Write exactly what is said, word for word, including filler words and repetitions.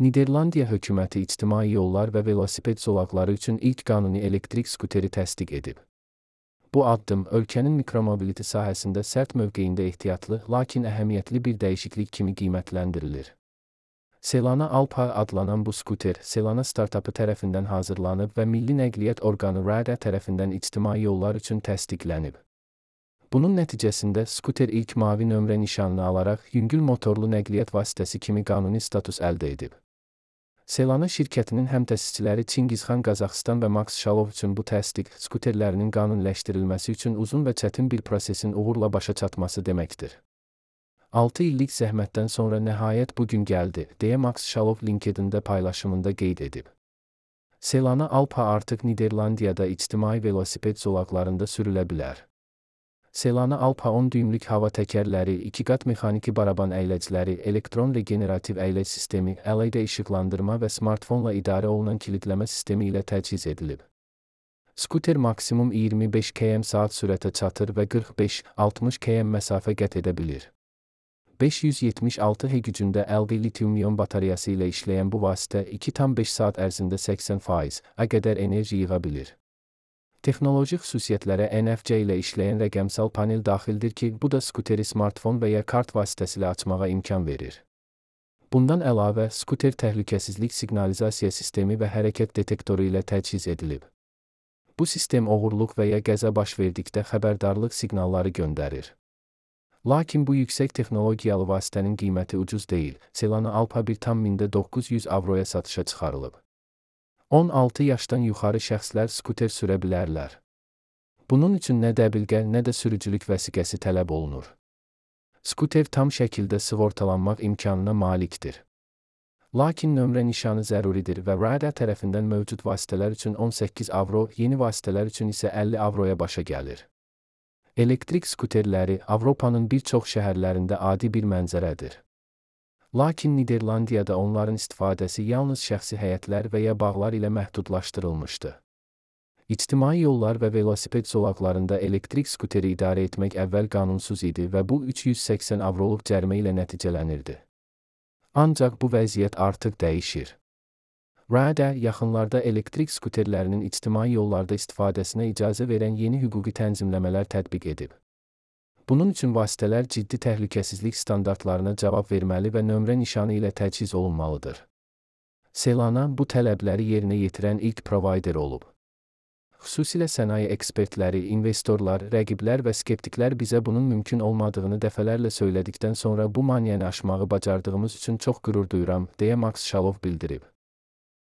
Niderlandiya hökuməti ictimai yollar və velosiped zolaqları üçün ilk qanuni elektrik skuteri təsdiq edib. Bu addım ölkənin mikromobiliti sahəsində sərt mövqeyində ehtiyatlı, lakin əhəmiyyətli bir dəyişiklik kimi qiymətləndirilir. Selana Alpa adlanan bu skuter, Selana startapı tərəfindən hazırlanıb və Milli Nəqliyyat Orqanı RADA tərəfindən ictimai yollar üçün təsdiqlənib. Bunun nəticəsində skuter ilk mavi nömrə nişanını alaraq yüngül motorlu nəqliyyat vasitəsi kimi qanuni status əldə edib. Selana şirkətinin həmtəsisçiləri Çingizxan Qazaxıstan və Max Şalov üçün bu təsdiq, skuterlərinin qanuniləşdirilməsi üçün uzun və çətin bir prosesin uğurla başa çatması deməkdir. altı illik zəhmətdən sonra nəhayət bugün gəldi, deyə Max Şalov LinkedIn-də paylaşımında qeyd edib. Selana Alpa artıq Niderlandiyada ictimai velosiped zolaqlarında sürülə bilər. Selana Alpa on düymlük hava təkərləri, iki qat mexaniki baraban əyləcləri, elektron regenerativ əyləc sistemi, L E D işıqlandırma və smartfonla idarə olunan kilidləmə sistemi ilə təchiz edilib. Skuter maksimum iyirmi beş kilometr saat sürətə çatır və qırx beş altmış kilometr məsafə qət edə bilir. beş yüz yetmiş altı H gücündə L V litium-ion batareyası ilə işləyən bu vasitə iki tam beş saat ərzində səksən faiz-ə qədər enerji yığa bilir. Texnoloji xüsusiyyətlərə N F C ilə işləyən rəqəmsal panel daxildir ki, bu da skuteri smartfon və ya kart vasitəsilə açmağa imkan verir. Bundan əlavə, skuter təhlükəsizlik siqnalizasiya sistemi və hərəkət detektoru ilə təchiz edilib. Bu sistem oğurluq və ya qəza baş verdikdə xəbərdarlıq siqnalları göndərir. Lakin bu yüksək texnologiyalı vasitənin qiyməti ucuz deyil. Selana Alpa bir tam min doqquz yüz avroya satışa çıxarılıb. on altı yaşdan yuxarı şəxslər skuter sürə bilərlər. Bunun üçün nə dəbilqə, nə də sürücülük vəsiqəsi tələb olunur. Skuter tam şəkildə sığortalanmaq imkanına malikdir. Lakin nömrə nişanı zəruridir və RADA tərəfindən mövcud vasitələr üçün on səkkiz avro, yeni vasitələr üçün isə əlli avroya başa gəlir. Elektrik skuterləri Avropanın bir çox şəhərlərində adi bir mənzərədir. Lakin Niderlandiyada onların istifadəsi yalnız şəxsi həyətlər və ya bağlar ilə məhdudlaşdırılmışdı. İctimai yollar və velosiped zolaqlarında elektrik skuteri idarə etmək əvvəl qanunsuz idi və bu üç yüz səksən avroluq cərimə ilə nəticələnirdi. Ancaq bu vəziyyət artıq dəyişir. RADA yaxınlarda elektrik skuterlərinin ictimai yollarda istifadəsinə icazə verən yeni hüquqi tənzimləmələr tətbiq edib. Bunun üçün vasitələr ciddi təhlükəsizlik standartlarına cavab verməli və nömrə nişanı ilə təchiz olunmalıdır. Selana bu tələbləri yerinə yetirən ilk provayder olub. Xüsusilə sənaye ekspertləri, investorlar, rəqiblər və skeptiklər bizə bunun mümkün olmadığını dəfələrlə söylədikdən sonra bu maneəni aşmağı bacardığımız üçün çox qürur duyuram, deyə Max Şalov bildirib.